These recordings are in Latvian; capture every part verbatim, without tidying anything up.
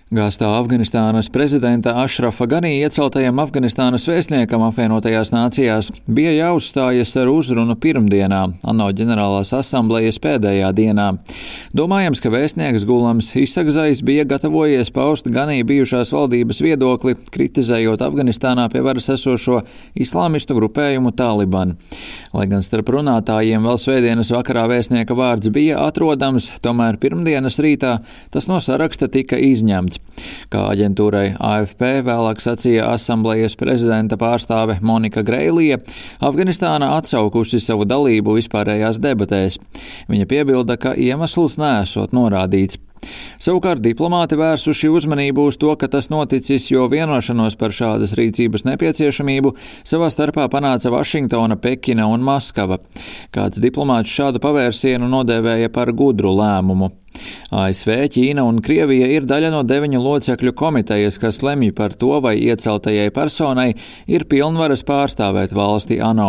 Gāstā Afganistānas prezidenta Ašrafa Ganī ieceltajam Afganistānas vēstniekam apvienotajās nācijās bija jāuzstājas ar uzrunu pirmdienā, ANO ģenerālās asamblejas pēdējā dienā. Domājams, ka vēstnieks Gulams Isakzais bija gatavojies paust Ganī bijušās valdības viedokli, kritizējot Afganistānā pie varas esošo islāmistu grupējumu Taliban. Lai gan starp runātājiem vēl svētdienas vakarā vēstnieka vārds bija atrodams, tomēr pirmdienas rītā tas no saraksta tika izņemts. Kā aģentūrai A F P vēlāk sacīja asamblejas prezidenta pārstāve Monika Greilija, Afganistāna atsaukusi savu dalību vispārējās debatēs. Viņa piebilda, ka iemesls neesot norādīts. Savukārt diplomāti vērsuši uzmanību uz to, ka tas noticis, jo vienošanos par šādas rīcības nepieciešamību savā starpā panāca Vašingtona, Pekina un Maskava. Kāds diplomāts šādu pavērsienu nodēvēja par gudru lēmumu. A S V, Ķīna un Krievija ir daļa no deviņu locekļu komitejas, kas lemj par to, vai ieceltajai personai ir pilnvaras pārstāvēt valsti ANO.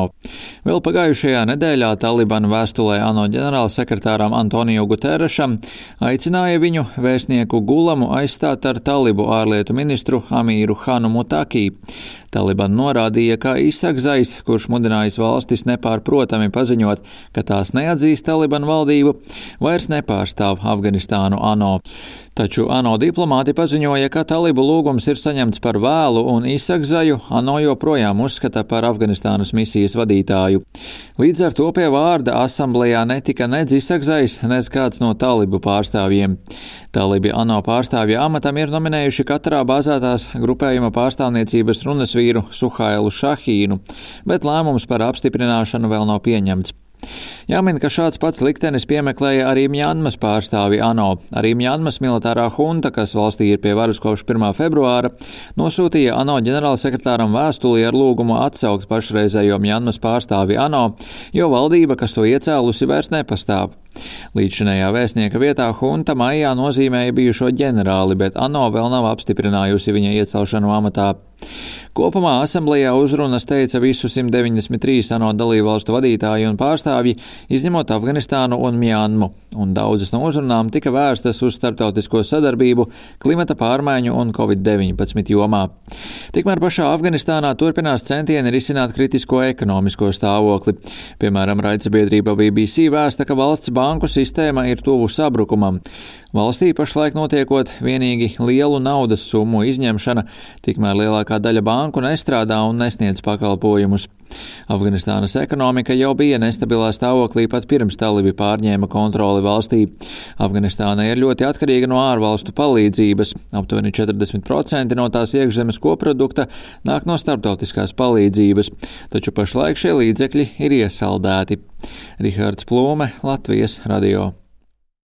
Vēl pagājušajā nedēļā Taliban vēstulē ANO ģenerālsekretāram Antoniju Guterešam aicināja viņu vēstnieku Gulamu aizstāt ar talibu ārlietu ministru Amīru Hanu Mutakī. Taliban norādīja, ka Isakzais, kurš mudinājis valstis nepārprotami paziņot, ka tās neatzīst Taliban valdību, vairs nepārstāv Afganistānu ANO. Taču ANO diplomāti paziņoja, ka talibu lūgums ir saņemts par vēlu un Isakzaju ANO joprojām uzskata par Afganistānas misijas vadītāju. Līdz ar to pie vārda asamblejā netika nedz Isakzais, nedz kāds no talibu pārstāvjiem. Talibi ANO pārstāvja amatam ir nominējuši katrā bāzētās grupējuma pārstāvniecības runas vīru Suhailu Šahīnu, bet lēmums par apstiprināšanu vēl nav pieņemts. Jāmin, ka šāds pats liktenis piemeklēja arī Mjanmas pārstāvi ANO. Arī Mjanmas militārā hunta, kas valstī ir pie varas kopš pirmā februāra, nosūtīja ANO ģenerālsekretāram vēstuli ar lūgumu atsaukt pašreizējo Mjanmas pārstāvi ANO, jo valdība, kas to iecēlusi, vairs nepastāv. Līdzšinējā vēstnieka vietā hunta maijā nozīmēja bijušo ģenerāli, bet ANO vēl nav apstiprinājusi viņa iecelšanu amatā. Kopumā asamblejā uzrunas teica visu simt deviņdesmit trīs ANO dalībvalstu vadītāji un pārstāvji, izņemot Afganistānu un Mjanmu, un daudzas no uzrunām tika vērstas uz starptautisko sadarbību, klimata pārmaiņu un covid deviņpadsmit jomā. Tikmēr pašā Afganistānā turpinās centieni risināt kritisko ekonomisko stāvokli. Piemēram, raidsabiedrība B B C vēsta, ka valsts banku sistēma ir tuvu sabrukumam. Valstī pašlaik notiekot vienīgi lielu naudas summu izņemšana, tikmēr lielākā daļa banku nestrādā un nesniedz pakalpojumus. Afganistānas ekonomika jau bija nestabilā stāvoklī pat pirms talibi pārņēma kontroli valstī. Afganistāna ir ļoti atkarīga no ārvalstu palīdzības. Aptuveni četrdesmit procenti no tās iekšzemes koprodukta nāk no starptautiskās palīdzības, taču pašlaik šie līdzekļi ir iesaldēti. Rihards Plūme, Latvijas radio.